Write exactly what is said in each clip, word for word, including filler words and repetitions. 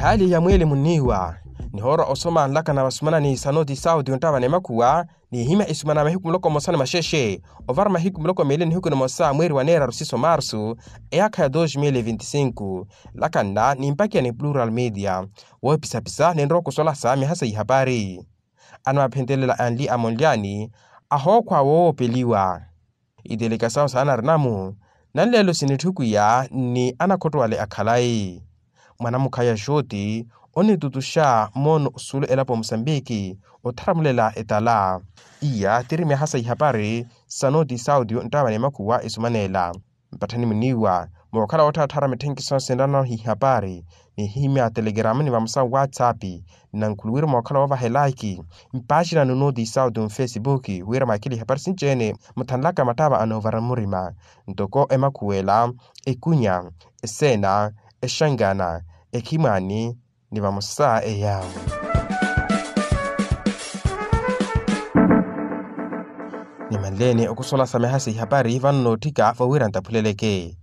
Hali ya mweli muniiwa nihoora osoma nlakana vasumana ni sanoti sauti onttava ni makhuwa. Nihimya isumana mahiku muloko mmosa ni maxexe ovara mahiku muloko meeli nihiku nimosa mweeri wa neeraru siso marsu eyaakha ya dos mil vinti sinku. Nlakanna nimpakiya ni plural media woopisapisa ninrowa okusolasa mihasa ihapari. Anamaphentelela anli amonlyani ahookhwa woowopeliwa. Itelekesawo saanarinamu nanleelo sinitthukiya ni anakhotto ale akhalayi mwanamukhaya xoti onitutuxa moono osulu elapo musambiki ottaramulela etala. Iya tiri myaha sa ihapari sanoti sauti onttava ni makhuwa esumaneela. Mpatthani muniiwa mookhala wootthaatthara mitthenkisonse nranaho ihapari nihimya telegrama ni vamosa whatsapp. Nnankhuluwiri mookhala woovaha elaiki mpaaxina nunoti sauti nfesipuki wira mwakhile ihapari sinci-ene muthanlaka matthava anoovara murima ntoko emakhuwela, ekunya, eseena, exankana, ekhimwaani ni vamosa eya. Nimanleeni okusolasa myaha sa ihapari vano nootthika vowira ntaphuleleke.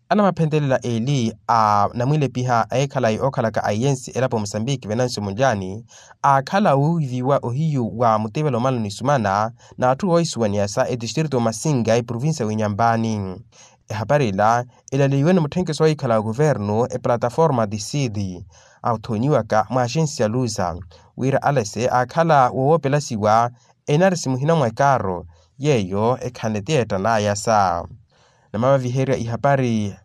Anamaphentelela eeli a namwilepiha a ekhalayi ookhalaka a iyensi elapo musambiki venancio munlyani aakhala wuuviwa ohiyu wa mutevela omala onisumana n'atthu oohisuwaniya sa etistritu omasinga eprovincia w'inyampani. Ehapari ila elaleiwe ni mutthenkeso ohiikhala wa kuvernu eplataforma disidi athonyiwaka mwa axensi ya luza wira alese aakhala wowoopelasiwa enarisi muhina mwa ekaaro yeeyo ekhanle ti yeettan'aya sa namavaviherya ihapari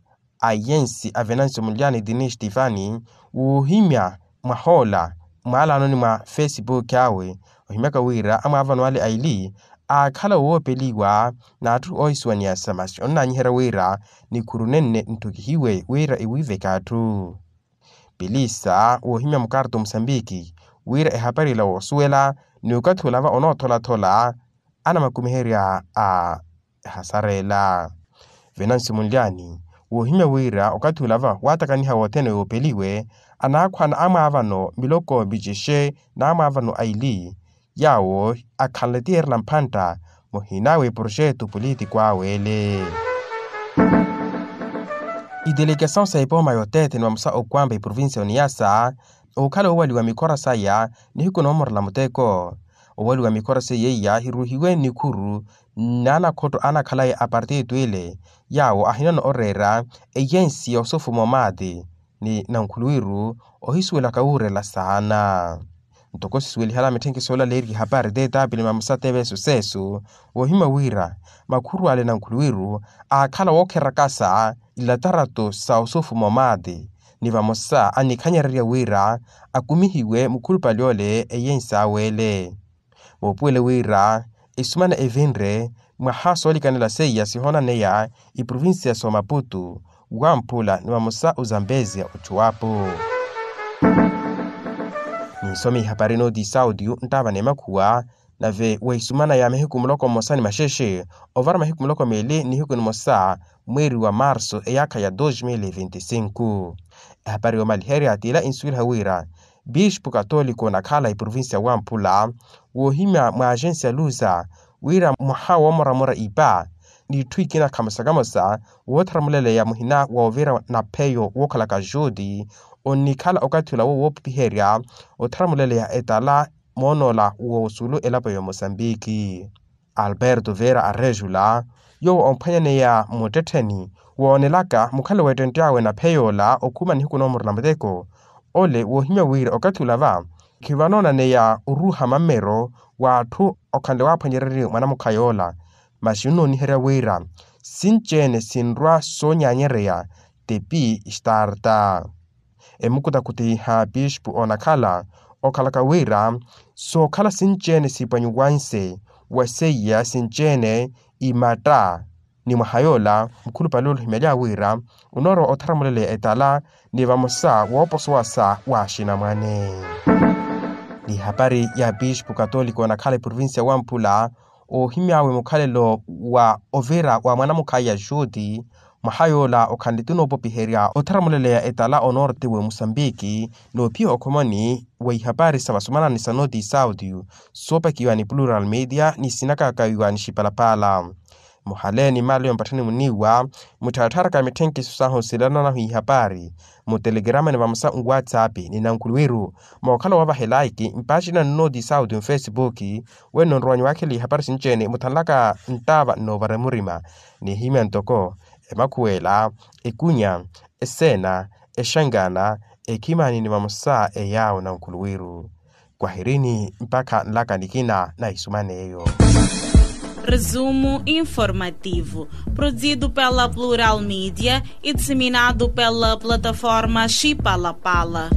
a iyensi a venancio munlyani dini stefani woohimya mwahoola mwaalaanoni mwa fesipuki awe ohimyaka wira amwaavano ale aili aakhala wowoopeliwa n'atthu oohisuwaniya sa masi onnaanyiherya wira nikhuru nenne ntthukihiwe wira ewiiveke atthu. Pilisa woohimya mukarto musambiki wira ehapari ila woosuwela ni okathi olava onootholaathola anamakumiherya a ehasara ela. Venancio munlyani woohimya wira okathi olava waatakaniha wothene yoopeliwe anaakhwana amwaavano miloko micexe n'amwaavano aili yaawo akhanle ti yeerela mphantta muhina w'eproxeto politiku awe ele. Itelekesawo sa epooma yoteethene vamosa okwampa eprovincia oniyasa ookhala oowaliwa mikhora saya nihiku noomorela muteko. Owaliwa mikhora seiya iya hiruuhiwe nikhuru n'anakhotto anakhalayi a partitu ile yaawo ahinano oreera eyensi ya osofuma omaati ni nankhuluwiru ohisuwelaka wuurela saana. Ntoko sisuwelihala mitthenkisi oolaleerya ihapari t'etaapili mamosa t'eveeso s'esu woohimya wira makhuru ale nankhuluwiru aakhala wookherakasa ilataratu sa osofuma omaati ni vamosa anikhanyererya wira akumihiwe mukhulupale ole eyensi awe ele. Moopuwele wira esumana evinre mwaha soolikanela seiya sihoonaneya iprovincia s'omaputu wamphula ni vamosa ozambezia ochuwapu. Ninsome ihapari n'otiisa otiyu nttaava n'emakhuwa nave wa esumana ya mihiku muloko mmosa ni maxexe ovara mihiku muloko meeli nihiku nimosa mweeri wa marsu eyaakha ya dos mil vinti sinku. Ehapari yoomaliherya t'ila insuweliha wira bispu katoliko onakhala eprovincia wamphula woohimya mwa axensi ya luza wira mwaha woomoramora ipa n'itthu ikina khamosa-kamosa woottharamuleleya muhina woovira napheyo wookhalaka juti onnikhala okathi olawo woopipiherya ottharamuleleya etala moonoola w'osulu elapo ya omosambiki. Alberto vera arejula yoowo omphwanyaneya muttettheni woonelaka mukhale w'ettentte awe naphey'ola okhuma nihiku noomorela muteko ole woohimya wira okathi olava khivanoonaneya oruuha mammero w'atthu okhanle waaphwanyererye mwanamukhay'ola. Masi onnooniherya wira sinci-ene sinrwa soonyanyereya tepi starta. Emukutakutiha pispu onakhala okhalaka wira sookhala sinci-ene siipwanyiwanse wa seiya sinci-ene imatta ni mwaha yoola mukhulupale ole ohimelya wira onoorowa ottharamuleleya etala ni vamosa wooposowasa wa axinamwane. Ni hapari ya pispu katoliko onakhala eprovincia wamphula oohimy'awe mukhalelo wa ovira wa mwanamukhayi ya juti mwaha yoola okhanle ti onoopopiherya ottharamuleleya etala onorte w'emosambiki. Noophiya okhomoni wa ihapari sa vasumanani sa noti sauti soopakiwa ni plural media ni sinakakawiwa ni xipalapala Muhaleeni mmaali yompatthani muniiwa muttharattharaka mitthenkisi sahu silananahu ihapari mutelekerama ni vamosa nwatsapi ni nankhuluwiru mookhala wavaha elaiki mpaaci nannooti sauti mfesipuki. Wenno nrowanyi waakhela ihapari sinci-ene muthanlaka nttaava nnoovara murima nihimya ntoko emakhuwela, ekunya, eseena, exankana, ekhimani ni vamosa eyaawo nankhuluwiru. Kwahirini mpakha nlaka nikina na isuman'eyo. Resumo informativo, produzido pela Plural Media e disseminado pela plataforma Chipalapala.